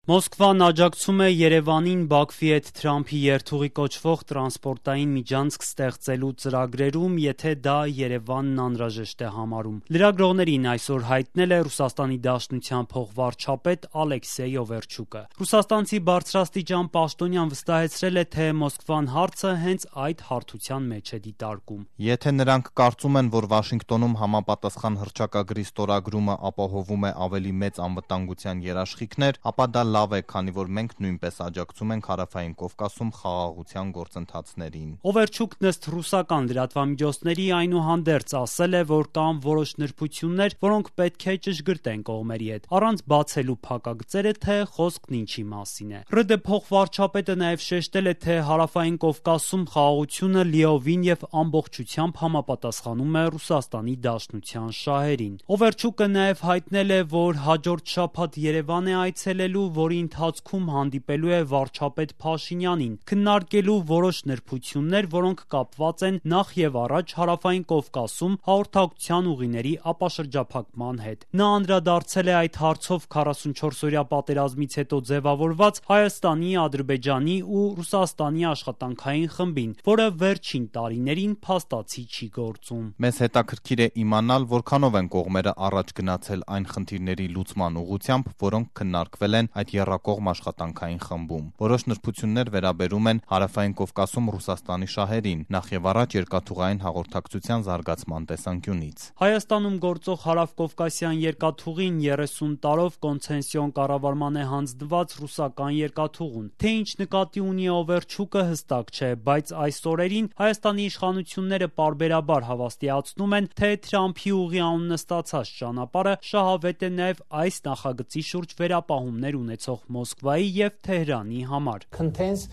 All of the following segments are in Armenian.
Մոսկվան աջակցում է Երևանին Բաքվի հետ Թրամփի երթուղի կոչվող տրանսպորտային միջանցք ստեղծելու ծրագրերում, եթե դա Երևանն անհրաժեշտ է համարում։ Լրագրողներին այսօր հայտնել է Ռուսաստանի Դաշնության փոխվարչապետ Ալեքսեյ Օվերչուկը։ Ռուսաստանցի բարձրաստիճան պաշտոնյան վստահեցրել է, թե Մոսկվան հարցը հենց այդ հարթության մեջ է դիտարկում։ Եթե նրանք կարծում են, որ Վաշինգտոնում համապատասխան հռչակագրի ստորագրումը ապահովում է ավելի մեծ անվտանգության երաշխիքներ, ապա դա լավ է, քանի որ մենք նույնպես աջակցում ենք Հարավային Կովկասում խաղաղության գործընթացներին։ Օվերչուկն ըստ ռուսական լրատվամիջոցների այնուհանդերձ ասել է, որ կան որոշ նրբություններ, որոնք պետք է ճշգրտեն կողմերի հետ, առանց բացելու փակագծերը, թե խոսքն ինչի մասին է։ ՌԴ փոխվարչապետը նաև շեշտել է, թե Հարավային Կովկասում խաղաղությունը լիովին եւ ամբողջությամբ համապատասխանում է Ռուսաստանի Դաշնության շահերին։ Օվերչուկը նաև հայտնել է, որ հաջորդ շաբաթ Երևան է այցելելու, որի ընթացքում հանդիպելու է վարչապետ Փաշինյանին, քննարկելու որոշ նրբություններ, որոնք կապված են նախ եւ առաջ Հարավային Կովկասում հաղորդակցության ուղիների ապաշրջափակման հետ։ Նա անդրադարձել է այդ հարցով 44-օրյա պատերազմից հետո ձևավորված Հայաստանի, Ադրբեջանի ու Ռուսաստանի աշխատանքային խմբին, որը վերջին տարիներին փաստացի չի գործում։ Մեզ հետաքրքիր է իմանալ, որքանով են կողմերը առաջ գնացել այն խնդիրների լուծման ուղղությամբ, որոնք քննարկվել են այդ եռակողմ աշխատանքային խմբում։ Որոշ նրբություններ վերաբերում են Հարավային Կովկասում Ռուսաստանի շահերին, նախ եւ առաջ երկաթուղային հաղորդակցության զարգացման տեսանկյունից։ Հայաստանում գործող Հարավկովկասյան երկաթուղին 30 տարով կոնցեսիոն կառավարման է հանձնված ռուսական երկաթուղուն։ Թե ինչ նկատի ունի Օվերչուկը հստակ չէ, բայց այս օրերին Հայաստանի իշխանությունները պարբերաբար հավաստիացնում են, թե Թրամփի ուղի անունը ստացած ճանապարհը շահավետ է նաև այս նախագծի շուրջ վերապահումներ ունեցող Մոսկվայի եւ Թեհրանի համար։ Contains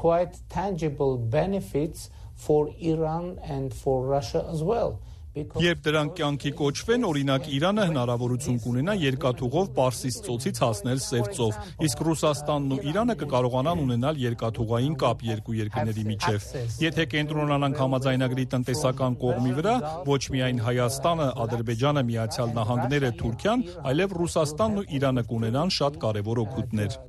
quite tangible benefits for Iran and for Russia as well. Երբ դրանք կյանքի կոչվեն, օրինակ Իրանը հնարավորություն կունենա երկաթուղով Պարսից ծոցից հասնել Սև ծով, իսկ Ռուսաստանն ու Իրանը կկարողանան ունենալ երկաթուղային կապ երկու երկրների միջև։ Եթե կենտրոնանանք համաձայնագրի տնտեսական կողմի վրա, ոչ միայն Հայաստանը, Ադրբեջանը, Միացյալ Նահանգները, Թուրքիան, այլև Ռուսաստանն ու Իրանը կունենան շատ կարևոր օգուտներ։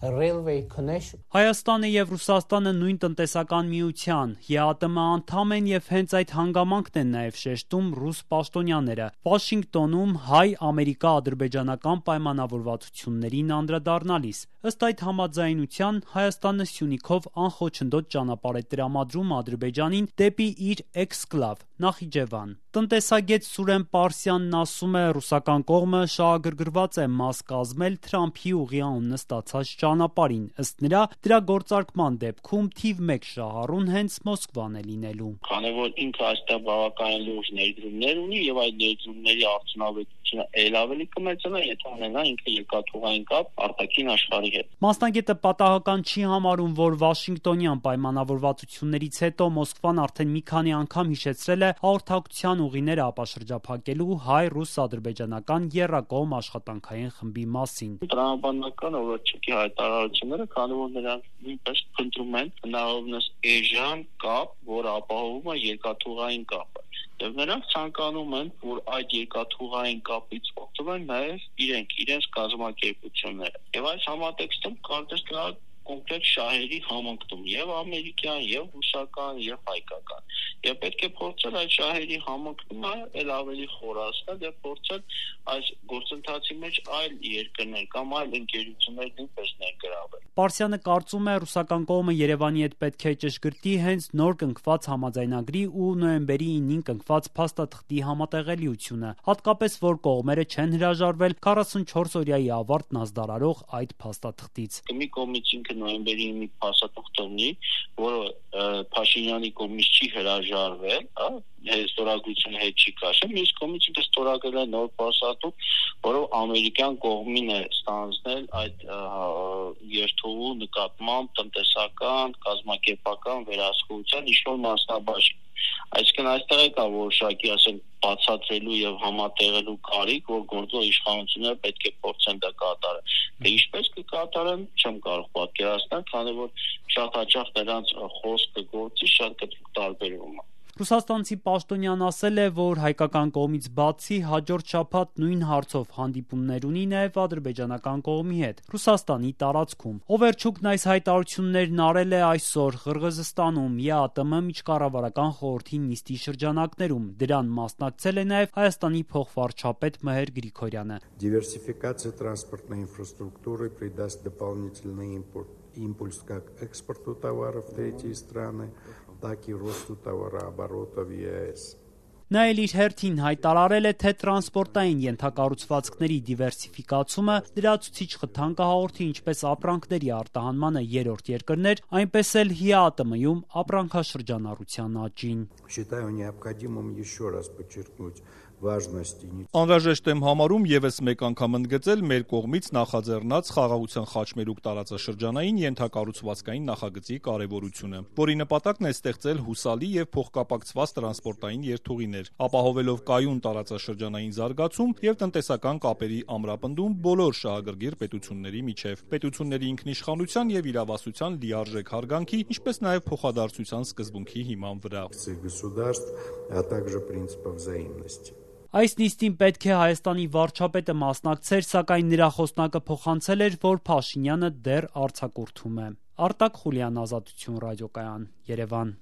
Հայաստանը եւ Ռուսաստանը նույն տնտեսական միության ԵԱՏՄ անդամ են եւ հենց այդ հանգամանքն են նաեւ շեշտում ռուս պաշտոնյաները։ Վաշինգտոնում հայ-ամերիկա-ադրբեջանական պայմանավորվածություններին անդրադառնալիս։ Ըստ այդ համաձայնության Հայաստանը Սյունիքով անխոչնդոտ ճանապարհ է տրամադրում Ադրբեջանին դեպի իր էքսկլավ Նախիջևան։ Տնտեսագետ Սուրեն Պարսյանն ասում է, ռուսական կողմը շահագրգռված է մաս կազմել Թրամփի ուղի անունը ստացած ճանապարհին։ Ըստ նրա, դրա գործարկման դեպքում թիվ 1 շահառուն հենց Մոսկվան է լինելու։ Քանի որ ինքը այստեղ բավականին լուրջ ներդրումներ ունի եւ այդ ներդրումների արդյունավետությունը ել ավելի կմեծանա, եթե ունենա ինքը երկաթուղային կապ արտաքին աշխարհի հետ։ Մասնագետը պատահական չի համարում, որ Վաշինգտոնյան պայմանավորվածություններից հետո Մոսկվան արդեն մի քանի անգամ հիշեցրել է հաղորդակցության ուղիները ապաշրջափակելու հայ-ռուս-ադրբեջանական եռակողմ աշխատանքային խմբի մասին։ Տրամաբանական Օվերչուկի հայտարարությունները, քանի որ նրանք նույնպես փնտրում են հնարավորինս էժան կապ, որը ապահովում է երկաթուղային կապը։ Եվ նրանք ցանկանում են, որ այդ երկաթուղային կապից օգտվեն նաև իրենց կազմակերպությունները։ Եվ այս համատեքստում կարծես թե կոնկրետ շահերի համընկնում եւ ամերիկյան, եւ ռուսական, եւ հայկական։ Եվ պետք է փորձել այդ շահերի համընկնումը ել ավելի խորացնել եւ փորձել այս գործընթացի մեջ այլ երկրներ կամ այլ ընկերություններ նույնպես ներգրավել։ Պարսյանը կարծում է, ռուսական կողմը Երևանի հետ պետք է ճշգրտի հենց նոր կնքված համաձայնագրի ու նոյեմբերի 9-ին կնքված փաստաթղթի համատեղելիությունը, հատկապես որ կողմերը չեն հրաժարվել 44-օրյայի ավարտն ազդարարող այդ փաստաթղթից։ Մի կողմից ինքը նոյեմբերի 9-ի փաստաթղթը ունի, որը Փաշինյանի կողմից չի հրաժարվել, ստորագրությունը հետ չի կաշել, մյուս կողմից ինքը ստորագրել է նոր փաստաթուղթ, որով ամերիկյան կողմին է ստանձնել այդ երթուղու նկատմամբ տնտեսական, կազմակերպական վերահսկողության ինչ-որ մասնաբաժին։ Այսինքն այստեղ է կա որոշակի, ասենք, բացատրելու եւ համատեղելու կարիք, որ գործող իշխանությունները պետք է փորձեն դա կատարել։ Դե ինչպես կկատարեն, չեմ կարող պատկերացնել, քանի որ շատ հաճախ նրանց խոսքը գործի շատ կտրուկ տարբերվում է։ Ռուսաստանցի պաշտոնյան ասել է, որ հայկական կողմից բացի հաջորդ շաբաթ նույն հարցով հանդիպումներ ունի նաև ադրբեջանական կողմի հետ Ռուսաստանի տարածքում։ Օվերչուկն այս հայտարարություններն արել է այսօր Ղրղըզստանում ԵԱՏՄ միջկառավարական խորհրդի նիստի շրջանակներում։ Դրան մասնակցել է նաև Հայաստանի փոխվարչապետ Մհեր Գրիգորյանը։ Диверсификация транспортной инфраструктуры придаст дополнительный импульс как экспорту товаров в третьи страны, так и росту товарооборота в ЕАЭС. Նա էլ իր հերթին հայտարարել է, թե տրանսպորտային ենթակառուցվածքների դիվերսիֆիկացումը լրացուցիչ խթան կհաղորդի ինչպես ապրանքների արտահանմանը երրորդ երկրներ, այնպես էլ ՀԱՏՄ-ում ապրանքաշրջանառության աճին։ Считаю необходимым еще раз подчеркнуть важность Անհրաժեշտ եմ համարում եւս մեկ անգամ ընդգծել մեր կողմից նախաձեռնած խաղաղության խաչմերուկ տարածաշրջանային ենթակառուցվածքային նախագծի կարեւորությունը, որի նպատակն է ստեղծել հուսալի եւ փոխկապակցված տրանսպորտային երթուղիներ, ապահովելով կայուն տարածաշրջանային զարգացում եւ տնտեսական կապերի ամրապնդում բոլոր շահագրգիռ պետությունների միջև, պետությունների ինքնիշխանության եւ իրավասության լիարժեք հարգանքի, ինչպես նաեւ փոխադարձության սկզբունքի հիման վրա։ государств, а также принципов взаимности. Այս նիստին պետք է Հայաստանի վարչապետը մասնակցեր, սակայն նրա խոսնակը փոխանցել էր, որ Փաշինյանը դեռ արձակուրդում է։ Արտակ Խուլյան, Ազատություն ռադիոկայան, Երևան։